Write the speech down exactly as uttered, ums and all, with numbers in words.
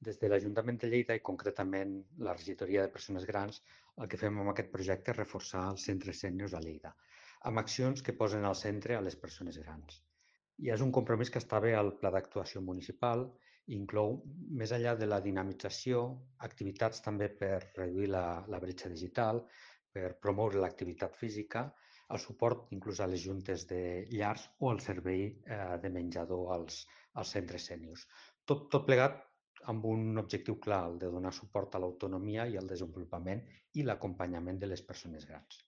Des de l'Ajuntament de Lleida i concretament la Regidoria de Persones Grans, el que fem amb aquest projecte és reforçar els centres sèniors a Lleida, amb accions que posen al centre a les persones grans. I és un compromís que està bé al Pla d'Actuació Municipal i inclou, més enllà de la dinamització, activitats també per reduir la, la bretxa digital, per promoure l'activitat física, el suport inclús a les juntes de llars o el servei eh, de menjador als, als centres sèniors. Tot, tot plegat amb un objectiu clar, el de donar suport a l'autonomia i al desenvolupament i l'acompanyament de les persones grans.